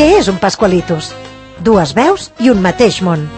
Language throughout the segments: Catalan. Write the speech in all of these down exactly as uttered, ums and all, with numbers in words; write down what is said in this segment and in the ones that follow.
Què és un Pascualitos? Dues veus i un mateix món.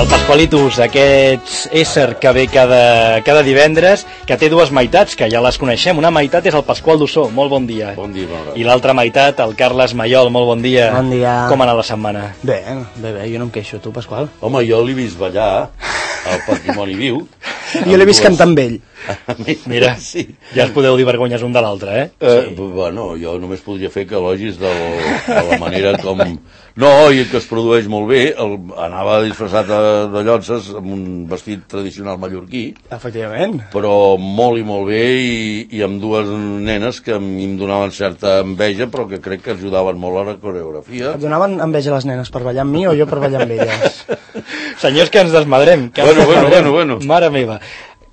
El Pascualitos, aquest ésser que ve cada, cada divendres, que té dues meitats, que ja les coneixem. Una meitat és el Pasqual Dussó, molt bon dia. Bon dia, bon dia. I l'altra meitat, el Carles Maiol, molt bon dia. Bon dia. Com ha anat la setmana? Bé, bé, bé, jo no em queixo. Tu, Pasqual? Home, jo l'he vist ballar al Patrimoni Viu. Jo l'he vist cantar amb ell. Mira, sí. Ja es podeu dir vergonyes un de l'altre, eh? eh sí. Bueno, jo només podria fer que elogis de, de la manera com... No, i que es produeix molt bé. El, anava disfressat de, de llotses amb un vestit tradicional mallorquí. Efectivament. Però molt i molt bé, i, i amb dues nenes que a mi em donaven certa enveja, però que crec que ajudaven molt a la coreografia. Et donaven enveja les nenes per ballar amb mi o jo per ballar amb elles? Senyors, que ens desmadrem. Que bueno, ens desmadrem. bueno, bueno, bueno. Mare meva.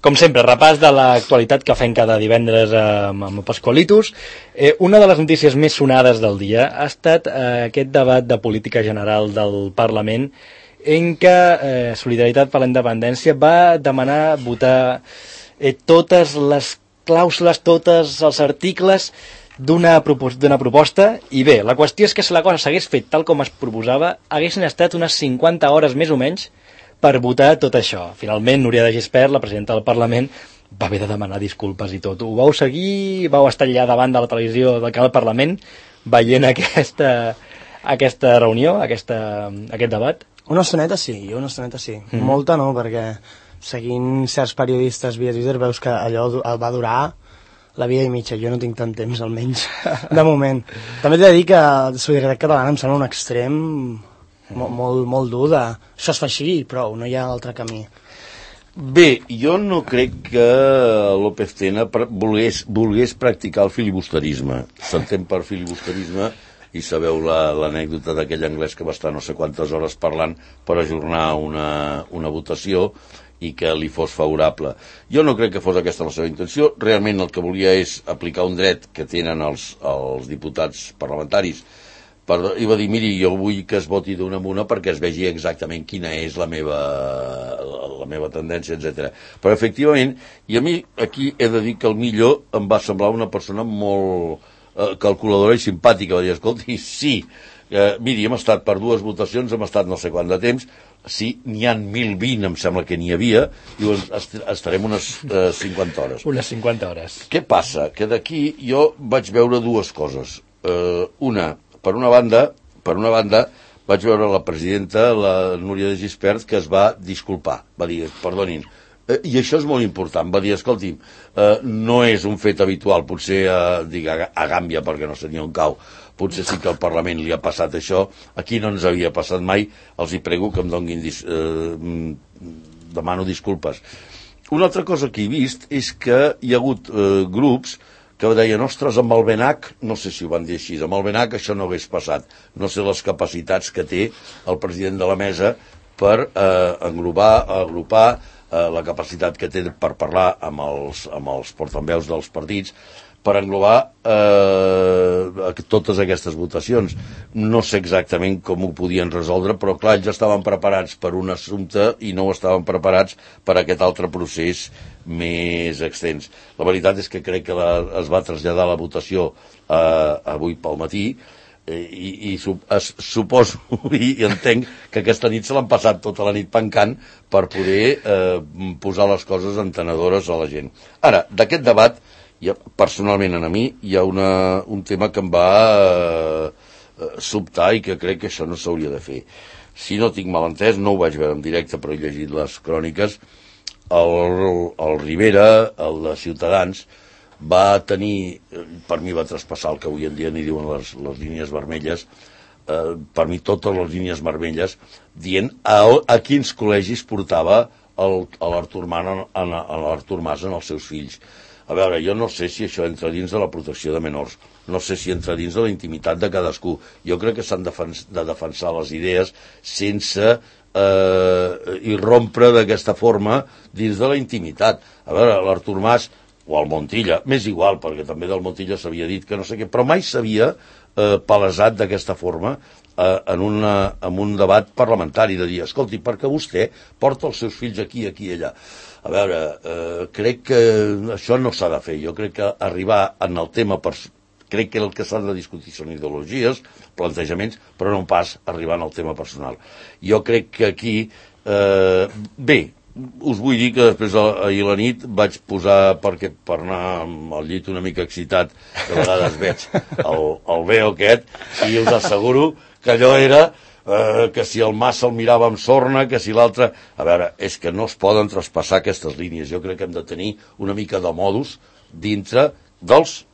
Com sempre, repàs de l'actualitat que fem cada divendres amb, amb Pascualitos. Eh, una de les notícies més sonades del dia ha estat eh, aquest debat de política general del Parlament en què eh, Solidaritat per la Independència va demanar votar eh, totes les clàusules, tots els articles d'una propos- d'una proposta, i bé, la qüestió és que si la cosa s'hagués fet tal com es proposava, haguessin estat unes cinquanta hores més o menys per votar tot això. Finalment, Núria de Gispert, la presidenta del Parlament, va haver de demanar disculpes i tot. Ho vau seguir? Vau estar allà davant de la televisió del canal Parlament veient aquesta, aquesta reunió, aquesta, aquest debat? Una estoneta sí, una estoneta sí. Mm. Molta no, perquè seguint certs periodistes via Twitter veus que allò va durar la vida i mitja. Jo no tinc tant temps, almenys, de moment. També t'he de dir que Solidaritat Catalana em sembla un extrem molt, molt, molt dur de... Això es fa així i prou, no hi ha altre camí. Bé, jo no crec que López Tena volgués, volgués practicar el filibusterisme. S'entén per filibusterisme, i sabeu l'anècdota la, d'aquell anglès que va estar no sé quantes hores parlant per ajornar una, una votació i que li fos favorable. Jo no crec que fos aquesta la seva intenció. Realment el que volia és aplicar un dret que tenen els, els diputats parlamentaris. Per, i va dir, miri, jo vull que es voti d'una en una perquè es vegi exactament quina és la meva, la meva tendència, etcètera. Però efectivament, i a mi aquí he de dir que el millor em va semblar una persona molt eh, calculadora i simpàtica. Va dir, escolti, sí, eh, miri, hem estat per dues votacions, hem estat no sé quant de temps, sí, n'hi ha mil vint, em sembla que n'hi havia, i est estarem unes eh, cinquanta hores. Unes cinquanta hores. Què passa? Que d'aquí jo vaig veure dues coses. Eh, una, Per una banda, per una banda, vaig veure la presidenta, la Núria de Gispert, que es va disculpar. Va dir, perdonin. Eh, I això és molt important. Va dir, escolti'm, eh, no és un fet habitual, potser eh, dic, a, a Gàmbia, perquè no sé ni on cau, potser sí que al Parlament li ha passat això, aquí no ens havia passat mai, els hi prego que em donguin, dis, eh, demano disculpes. Una altra cosa que he vist és que hi ha hagut eh, grups que deien, ostres, amb el BENAC, no sé si ho van dir així, amb el BENAC això no hagués passat. No sé les capacitats que té el president de la mesa per eh, englobar, agrupar eh, la capacitat que té per parlar amb els, amb els portaveus dels partits, per englobar eh, totes aquestes votacions. No sé exactament com ho podien resoldre, però clar, ja estaven preparats per un assumpte i no estaven preparats per aquest altre procés més extens. La veritat és que crec que la, es va traslladar la votació eh, avui pel matí, eh, i, i su, es, suposo i, i entenc que aquesta nit se l'han passat tota la nit pencant per poder eh, posar les coses entenedores a la gent. Ara, d'aquest debat, ja, personalment a mi, hi ha una, un tema que em va eh, sobtar i que crec que això no s'hauria de fer. Si no tinc mal entès, no ho vaig veure en directe, però he llegit les cròniques, el, el Rivera, el de Ciutadans, va tenir, per mi va traspassar el que avui en dia n'hi diuen les, les línies vermelles, eh, per mi totes les línies vermelles, dient a, a quins col·legis portava l'Artur Mas en els seus fills. A veure, jo no sé si això entra dins de la protecció de menors, no sé si entra dins de la intimitat de cadascú. Jo crec que s'han de defensar les idees sense eh, irrompre d'aquesta forma dins de la intimitat. A veure, l'Artur Mas o el Montilla, m'és igual, perquè també del Montilla s'havia dit que no sé què, però mai s'havia eh, palesat d'aquesta forma eh, en, una, en un debat parlamentari, de dir, escolti, perquè vostè porta els seus fills aquí, aquí i allà. A veure, eh, crec que això no s'ha de fer. Jo crec que arribar en el tema personal, crec que el que s'ha de discutir són ideologies, plantejaments, però no pas arribant al tema personal. Jo crec que aquí, eh, bé, us vull dir que després ahir a la nit vaig posar, perquè per anar al llit una mica excitat, de vegades veig el, el veo aquest, i us asseguro que allò era eh, que si el mas se'l mirava amb sorna, que si l'altre... A veure, és que no es poden traspassar aquestes línies. Jo crec que hem de tenir una mica de modus dintre dels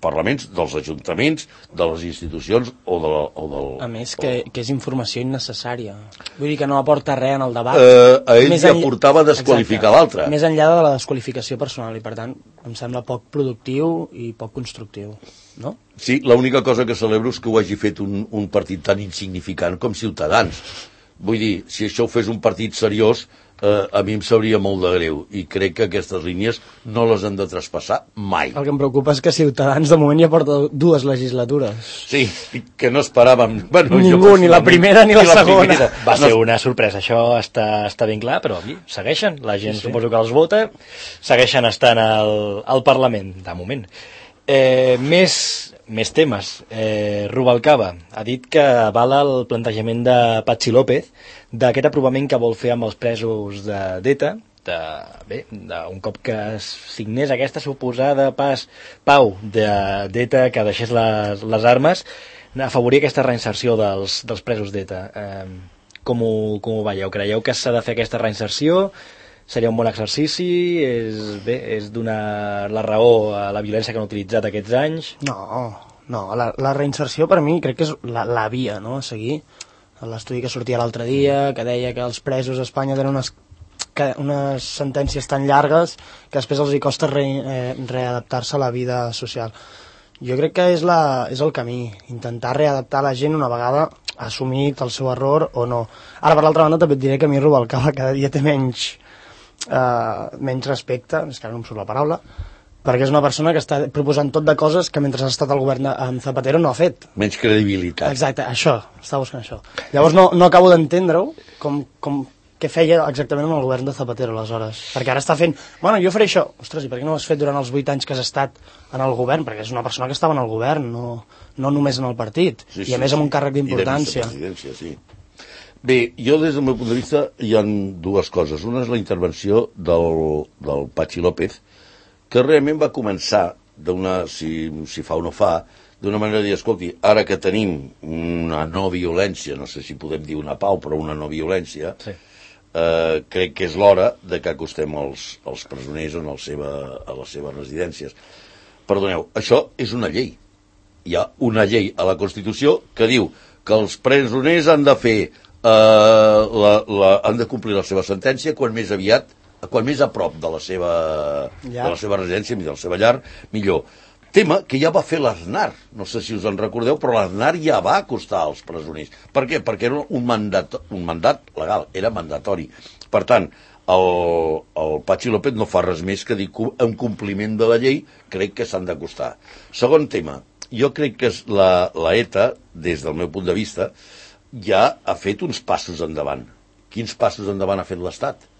parlaments, dels ajuntaments, de les institucions o, de la, o del... A més, que, que és informació innecessària. Vull dir que no aporta res en el debat. Eh, a ell Més li enll- aportava desqualificar l'altre. Més enllà de la desqualificació personal, i per tant em sembla poc productiu i poc constructiu, no? Sí, l'única cosa que celebro és que ho hagi fet un, un partit tan insignificant com Ciutadans. Vull dir, si això ho fes un partit seriós, eh, a mi em sabria molt de greu, i crec que aquestes línies no les han de traspassar mai. El que em preocupa és que Ciutadans de moment ja porta dues legislatures. Sí, que no esperàvem... Bueno, Ningú, ni la primera ni la segona. primera. Va ser una sorpresa, això està, està ben clar, però aquí segueixen, la gent sí, sí. suposo que els vota, segueixen estant al, al Parlament, de moment. Eh, més, més temes. Eh, Rubalcaba ha dit que avala el plantejament de Patxi López d'aquest aprovament que vol fer amb els presos de d'ETA, de, bé, de, un cop que es signés aquesta suposada pas, pau de d'ETA que deixés les, les armes, afavorir aquesta reinserció dels, dels presos d'ETA. Eh, com, ho, com ho veieu? Creieu que s'ha de fer aquesta reinserció? Seria un bon exercici? És, bé, és donar la raó a la violència que han utilitzat aquests anys? No, no, la, la reinserció per mi crec que és la, la via, no?, a seguir. L'estudi que sortia l'altre dia, que deia que els presos a Espanya tenen unes, que, unes sentències tan llargues que després els hi costa re, eh, readaptar-se a la vida social. Jo crec que és, la, és el camí, intentar readaptar la gent una vegada assumit el seu error o no. Ara, per l'altra banda, també et diré que a mi Rubalcaba cada dia té menys, eh, menys respecte, és que ara no em surt la paraula, perquè és una persona que està proposant tot de coses que mentre ha estat al govern amb Zapatero no ha fet. Menys credibilitat. Exacte, això, estava buscant això. Llavors no, no acabo d'entendre-ho, com, com què feia exactament amb el govern de Zapatero aleshores. Perquè ara està fent, bueno, jo faré això. Ostres, i per què no ho has fet durant els vuit anys que has estat en el govern? Perquè és una persona que estava en el govern, no, no només en el partit. Sí, I sí, a més amb un càrrec I de d'importància. vicepresidència, sí. Bé, jo des del meu punt de vista hi ha dues coses. Una és la intervenció del, del Patxi López, que realment va començar d'una, si, si fa o no fa, d'una manera de dir, escolti, ara que tenim una no violència, no sé si podem dir una pau, però una no violència, sí. eh, crec que és l'hora de que acostem els, els presoners en el seva, a les seves residències. Perdoneu, això és una llei. Hi ha una llei a la Constitució que diu que els presoners han de fer, eh, la, la, han de complir la seva sentència quan més aviat, quan més a prop de la seva, de la seva residència, de la seva llar, millor. Tema que ja va fer l'Aznar, no sé si us en recordeu, però l'Aznar ja va acostar als presoners. Per què? Perquè era un mandat, un mandat legal, era mandatori. Per tant, el, el Patxi López no fa res més que dir que en compliment de la llei crec que s'han d'acostar. Segon tema, jo crec que la, la ETA, des del meu punt de vista, ja ha fet uns passos endavant. Quins passos endavant ha fet l'Estat?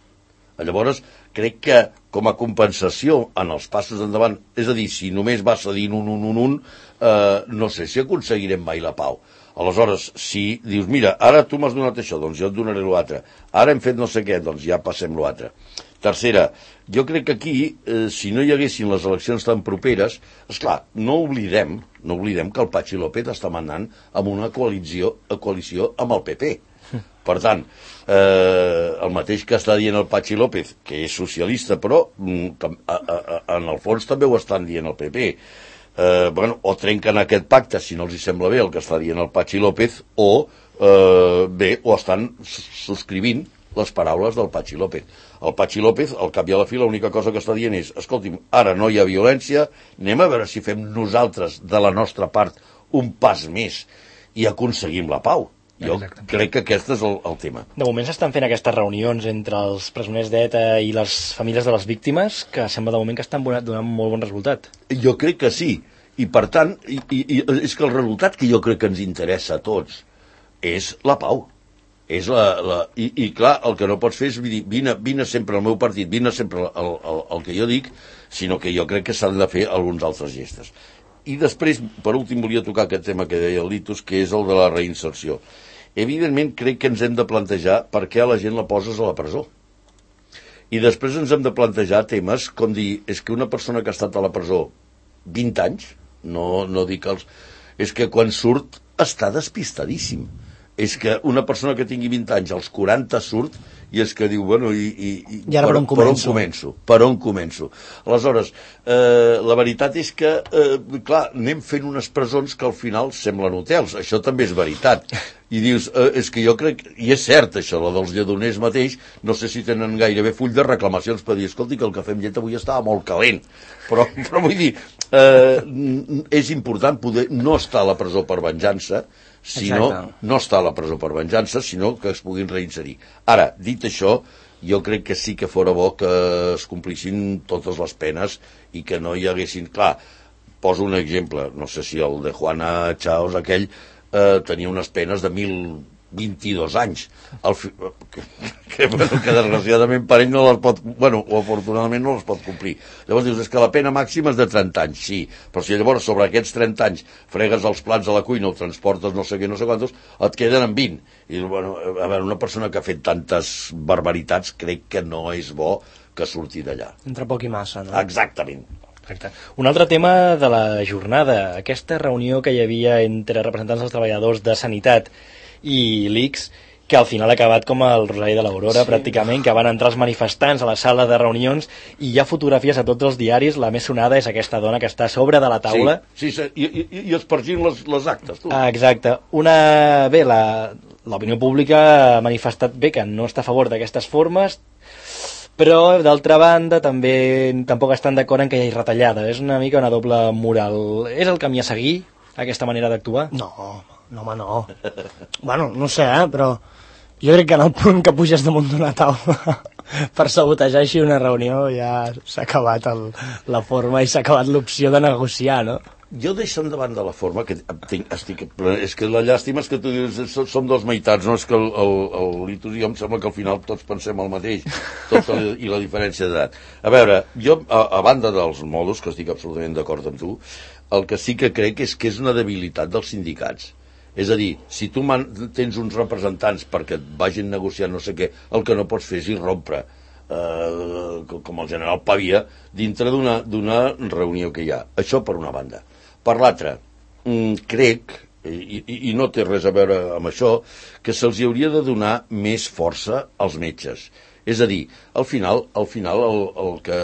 Llavors, crec que com a compensació en els passos endavant, és a dir, si només va cedint un, un, un, un, eh, no sé si aconseguirem mai la pau. Aleshores, si dius, mira, ara tu m'has donat això, doncs jo et donaré l'altre. Ara hem fet no sé què, doncs ja passem l'altre. Tercera, jo crec que aquí, eh, si no hi haguessin les eleccions tan properes, esclar, no oblidem, no oblidem que el Patxi López està manant amb una coalició, coalició amb el P P. Per tant, eh, el mateix que està dient el Patxi López, que és socialista, però mm, a, a, a, en el fons també ho estan dient el P P. Eh, bueno, o trenquen aquest pacte, si no els hi sembla bé el que està dient el Patxi López, o eh, bé, o estan subscrivint les paraules del Patxi López. El Patxi López, al cap i a la fi, l'única cosa que està dient és, escolti'm, ara no hi ha violència, anem a veure si fem nosaltres, de la nostra part, un pas més i aconseguim la pau. Jo Exactament. crec que aquest és el, el tema. De moment s'estan fent aquestes reunions entre els presoners d'ETA i les famílies de les víctimes, que sembla de moment que estan donant molt bon resultat. Jo crec que sí. I per tant, i, i, i és que el resultat que jo crec que ens interessa a tots és la pau. És la, la, i, I clar, el que no pots fer és dir, vine, vine sempre al meu partit, vine sempre el, el, el que jo dic, sinó que jo crec que s'han de fer alguns altres gestos. I després, per últim, volia tocar aquest tema que deia el Litus, que és el de la reinserció. Evidentment, crec que ens hem de plantejar per què a la gent la poses a la presó. I després ens hem de plantejar temes com dir, és que una persona que ha estat a la presó vint anys, no, no dic els... és que quan surt està despistadíssim. És que una persona que tingui vint anys, als quaranta surt, i és que diu, bueno, i, i, i, I ara per, on per on començo? Per on començo? Aleshores, eh, la veritat és que, eh, clar, anem fent unes presons que al final semblen hotels, això també és veritat. I dius, eh, és que jo crec, i és cert això, la dels lledoners mateix, no sé si tenen gairebé full de reclamacions per dir, escolti, que el cafè amb llet avui estava molt calent. Però, però vull dir, eh, és important poder no estar a la presó per venjança, sinó no estar a la presó per venjança, sinó que es puguin reinserir. Ara, dit això, jo crec que sí que fora bo que es complissin totes les penes i que no hi haguessin... Clar, poso un exemple, no sé si el de Juana Chaos, aquell, eh, tenia unes penes de mil vint-i-dos anys, el fi... que, que, bueno, que desgraciadament per ell no les pot, bueno, o afortunadament no les pot complir. Llavors dius, és que la pena màxima és de trenta anys, sí, però si llavors sobre aquests trenta anys fregues els plats a la cuina o transportes no sé què, no sé quantos, et queden en vint. I bueno, a veure, una persona que ha fet tantes barbaritats crec que no és bo que surti d'allà. Entre poc i massa, no? Exactament. Exacte. Un altre tema de la jornada, aquesta reunió que hi havia entre representants dels treballadors de Sanitat i l'I C S, que al final ha acabat com el Rosari de l'Aurora, sí, pràcticament, que van entrar els manifestants a la sala de reunions i hi ha fotografies a tots els diaris. La més sonada és aquesta dona que està a sobre de la taula. Sí, sí, sí, i, i, i espargint les, les actes. Tu. Ah, exacte. Una... Bé, l'opinió pública ha manifestat bé que no està a favor d'aquestes formes, però d'altra banda també tampoc estan d'acord en que hi hagi retallada. És una mica una doble moral. És el camí a seguir, aquesta manera d'actuar? No, no, home, no. Bueno, no sé, eh, però jo crec que en el punt que puges damunt d'una taula per sabotejar així una reunió ja s'ha acabat el, la forma i s'ha acabat l'opció de negociar, no? Jo deixant davant de la forma, que tinc, estic, és que la llàstima és que tu dius, som dos meitats, no? És que el, el, el Litus i jo em sembla que al final tots pensem el mateix, tot el, i la diferència d'edat. A veure, jo, a, a banda dels modos, que estic absolutament d'acord amb tu, el que sí que crec és que és una debilitat dels sindicats. És a dir, si tu man, tens uns representants perquè et vagin negociar no sé què, el que no pots fer és irrompre, eh, com el general Pavia, dintre d'una reunió que hi ha. Això per una banda. Per l'altra, crec, i, i, i no té res a veure amb això, que se'ls hauria de donar més força als metges. És a dir, al final, al final el, el que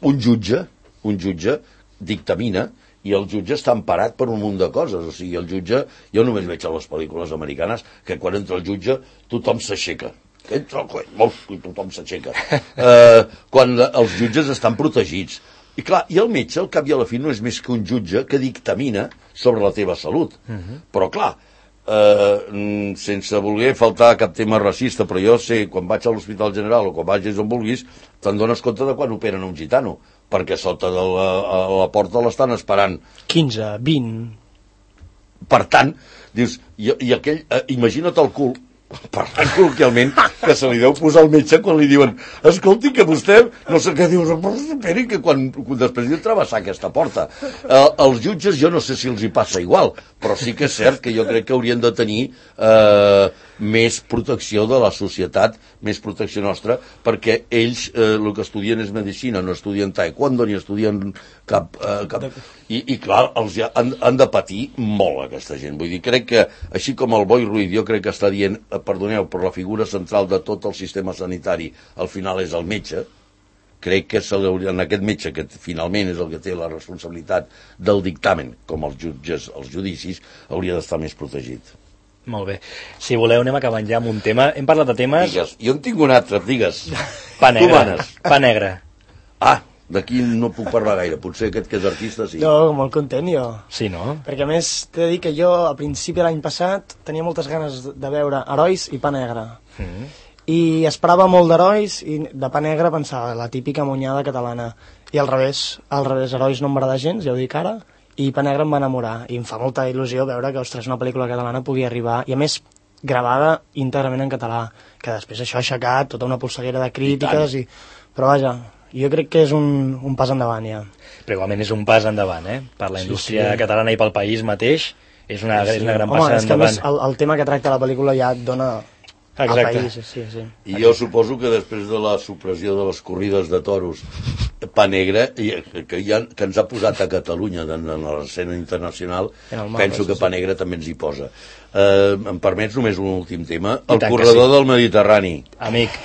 un jutge, un jutge dictamina, i el jutge està emparat per un munt de coses. O sigui, el jutge, jo només veig a les pel·lícules americanes que quan entra el jutge tothom s'aixeca. Entra el coll, i tothom s'aixeca. Eh, quan els jutges estan protegits. I clar, i el metge, al cap i a la fi, no és més que un jutge que dictamina sobre la teva salut. Uh-huh. Però clar, eh, sense voler faltar cap tema racista, però jo sé, quan vaig a l'Hospital General o quan vagis on vulguis, te'n dones compte de quan operen un gitano, perquè sota de la, a la porta l'estan esperant quinze, vint. Per tant, dius, i, i aquell, eh, imagina't el cul, parlant col·loquialment, que se li deu posar al metge quan li diuen, escolti, que vostè, no sé què, dius, però esperi que quan, després de travessar aquesta porta. Eh, els jutges jo no sé si els hi passa igual, però sí que és cert que jo crec que haurien de tenir eh, més protecció de la societat, més protecció nostra, perquè ells eh, el que estudien és medicina, no estudien taekwondo ni estudien cap... Eh, cap... I, i clar, els ja han, han de patir molt aquesta gent. Vull dir, crec que, així com el Boi Ruiz, jo crec que està dient, eh, perdoneu, però la figura central de tot el sistema sanitari al final és el metge, crec que en aquest metge, que finalment és el que té la responsabilitat del dictamen, com els jutges, els judicis, hauria d'estar més protegit. Molt bé. Si voleu, anem acabant ja amb un tema. Hem parlat de temes... Digues. Jo en tinc un altre, digues. Pa negre. Pa negre. Ah, d'aquí no puc parlar gaire. Potser aquest que és artista, sí. Jo, molt content, jo. Sí, no? Perquè a més, t'he de dir que jo, a principi de l'any passat, tenia moltes ganes de veure Herois i Pa negre. Mm. I esperava molt d'Herois i de Pa negre pensava la típica monyada catalana. I al revés, al revés, Herois no m'agrada gens, ja ho dic ara, i Pa Negre em va enamorar, i em fa molta il·lusió veure que, ostres, una pel·lícula catalana pugui arribar, i a més gravada íntegrament en català, que després això ha aixecat tota una polseguera de crítiques, i... però vaja, jo crec que és un, un pas endavant ja. Però igualment és un pas endavant, eh? Per la indústria sí, sí. catalana i pel país mateix, és una, sí, sí. és una gran Home, passa és que endavant. el, el tema que tracta la pel·lícula ja et dona Exacte. al país. Sí, sí. I jo suposo que després de la supressió de les corrides de toros, Pa Negre, que, ja, que ens ha posat a Catalunya en, en l'escena internacional, mapa, penso que Pa Negre també ens hi posa. Eh, em permets només un últim tema? El corredor sí. del Mediterrani. Amic.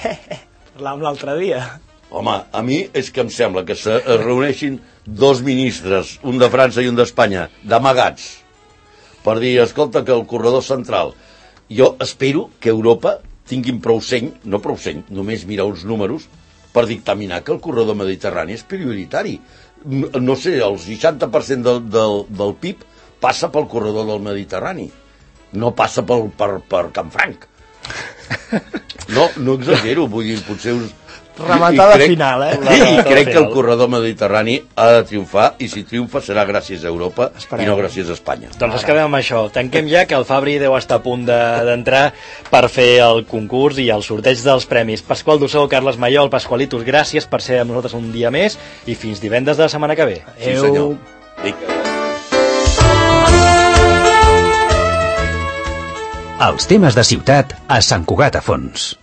Parlàvem l'altre dia. Home, a mi és que em sembla que se reuneixin dos ministres, un de França i un d'Espanya, d'amagats, per dir, escolta, que el corredor central... Jo espero que Europa tinguin prou seny, no prou seny, només mirar uns números, per dictaminar que el corredor mediterrani és prioritari. No sé, el seixanta per cent del, del, del P I B passa pel corredor del Mediterrani. No passa pel, per, per Canfranc. No, no exagero, vull dir, potser us... Rematada crec, final, eh? I, i crec que el corredor mediterrani ha de triomfar, i si triomfa serà gràcies a Europa Esperem. I no gràcies a Espanya. Doncs es quedem amb això. Tanquem ja, que el Fabri deu estar a punt d'entrar de, per fer el concurs i el sorteig dels premis. Pasqual Dussó, Carles Mayol, Pasqualitos, gràcies per ser amb nosaltres un dia més i fins divendres de la setmana que ve. Sí, senyor. Els temes de ciutat a Sant Cugat a Fons.